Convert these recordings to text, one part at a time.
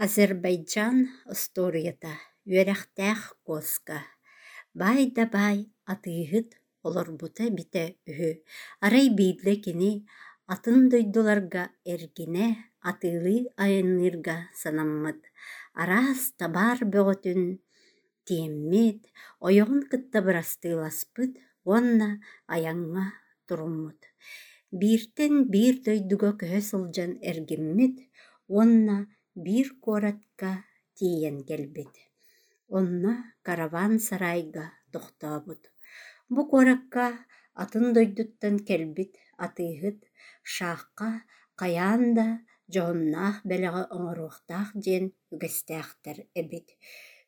Азербайджан остуоруйата «Үөрэхтээх куоска» Баай да баай атыыһыт олорбута эбитэ үһү. Арай биирдэ кини атын дойдуларга эргинэ, атыылыы айанныырга санаммыт. Араас табаар бөҕөтүн тиэммит, ойоҕун кытта бырастыыласпыт уонна айаҥҥа туруммут. Бииртэн биир дойдуга көһө сылдьан эргиммит уонна биир куоратка тиийэн кэлбит. Онно караван сарайга тохтообут. Бу куоракка атын дойдуттан кэлбит атыыһыт шахха хайаан да дьоһуннаах бэлэҕи оҥоруохтаах диэн үгэстээхтэр эбит.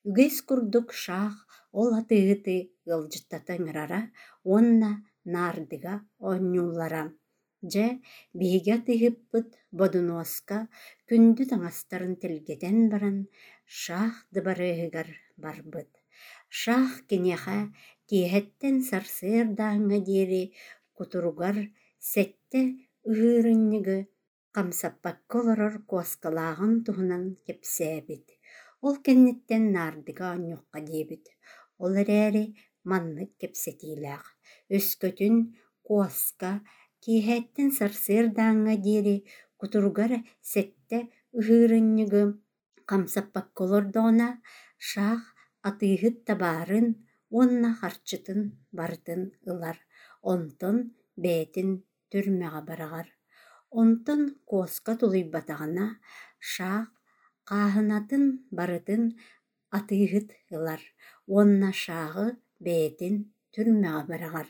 Үгэс курдук шах ол атыыһыты ыалдьыттата ыҥырара уонна наардыга оонньууллара. Дьэ, биһиги атыыһыппыт бодунуоска күндү таҥастарын тэлгэтэн баран, шах дыбарыаһыгар барбыт. Шах киниэхэ киэһэттэн сарсыардааҥҥа диэри кутуругар сэттэ ыһыырынньыгы хамсаппакка олорор куоскалааҕын туһунан кэпсээбит. Ол кэнниттэн наардыга оонньуохха диэбит. Ол эрээри маннык кэпсэтиилээх: өскөтүн куоска киэһэттэн сарсыардааҥҥа диэри кутуругар сэттэ ыһыырынньыгы хамсаппакка олордоҕуна, шах атыыһыт табаарын уонна харчытын барытын ылар, онтон бэйэтин түрмэҕэ быраҕар. Онтон куоска тулуйбатаҕына, шах хааһынатын барытын атыыһыт ылар уонна шаҕы бэйэтин түрмэҕэ быраҕар.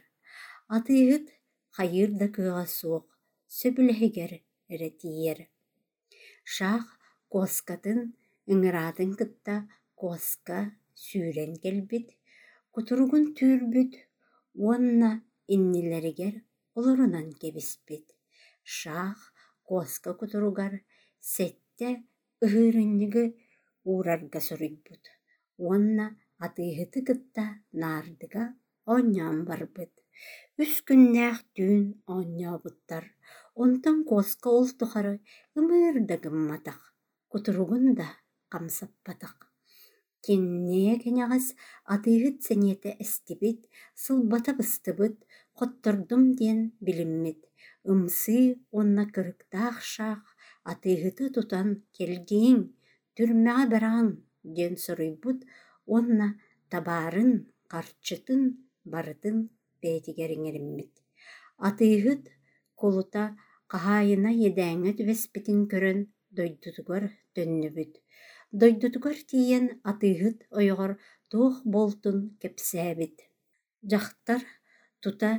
Атыыһыт хайыыр да кыаҕа суох, сөбүлэһигэр эрэ тиийэр. Шах куоскатын ыҥыраатын кытта куоска сүүрэн кэлбит, кутуругун түүрбүт уонна иннилэригэр олорунан кэбиспит. Шах куоска кутуругар сэттэ ыһыырынньыгы уурарга соруйбут уонна атыыһыты кытта наардыга оонньоон барбыт. Үс күннээх түүн оонньообуттар, онтон куоска ол тухары ымыыр да гымматах, кутуругун да хамсаппатах. Кэнниэ кэнэҕэс атыыһыт сэниэтэ эстибит, сылбата быстыбыт, хоттордум диэн билиммит. Ымсыы уонна кырыктаах шах атыыһыты тутан кэлгийиҥ, түрмэҕэ быраҕыҥ диэн соруйбут уонна табаарын, харчытын барытын бэйэтигэр иҥэриммит. Атыыһыт кулута хаһаайына иэдээҥҥэ түбэспитин көрөн дойдутугар төннүбүт. Дойдутугар тиийэн атыыһыт ойоҕор туох буолтун кэпсээбит. Дьахтар тута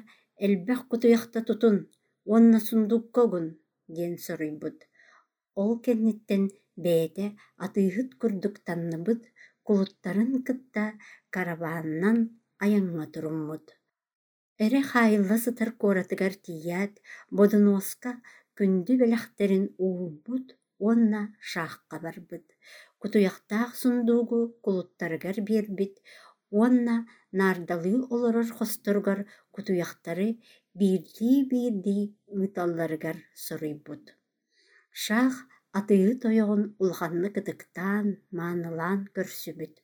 элбэх кутуйахта тутун уонна сундуукка угун диэн соруйбут. Ол кэнниттэн бэйэтэ атыыһыт курдук танныбыт, кулуттарын кытта караванынан айаҥҥа туруммут. Эрэ хаайылла сытар куоратыгар тиийээт, бодунуоска күндү бэлэхтэрин уурбут уонна шахха барбыт. Кутуйахтаах сундуугу кулуттарыгар биэрбит уонна наардалыы олорор хосторугар кутуйахтары биирдии-биирдии ыыталларыгар соруйбут. Шах атыыһыт ойоҕун улаханнык ытыктаан, маанылаан көрсүбүт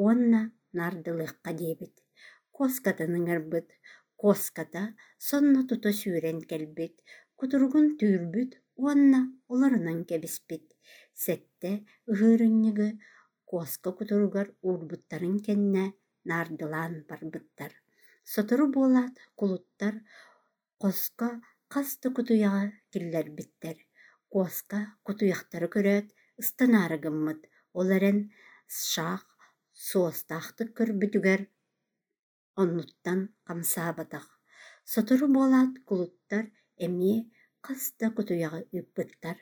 уонна наардылыахха диэбит. Куоскатын ыҥырбыт, куоската сонно тута сүүрэн кэлбит, кутуругун түүрбүт уонна олорунан кэбиспит. Сэттэ ыһыырынньыгы куоска кутуругар уурбуттарын кэннэ наардылаан барбыттар. Сотору буолаат кулуттар Хоско хас да кутуйаҕы киллэрбиттэр. Куоска кутуйахтары көрөөт ыстанаары гыммыт, ол эрэн шах суостаахтык көрбүтүгэр оннуттан хамсаабатах. Сотору буолаат кулуттар эмиэ хас да кутуйаҕы ыыппыттар.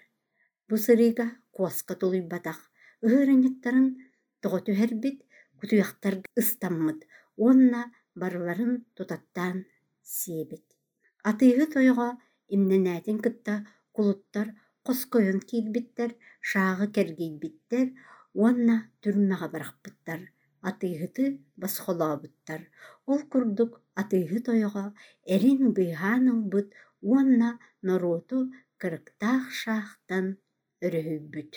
Бу сырыыга куоска тулуйбатах, ыһыырынньыктарын тоҕо түһэрбит, кутуйахтарга ыстаммыт уонна барыларын тутаттаан сиэбит. Атыыһыт ойоҕо имнэнээтин кытта кулуттар хоско ойон киирбиттэр, шааҕы кэргийбиттэр уонна түрмэҕэ бырахпыттар, атыыһыты босхолообуттар. Ол курдук атыыһыт ойоҕо эрин быыһаан ылбыт уонна норуоту кырыктаах шаахтан өрүһүйбүт.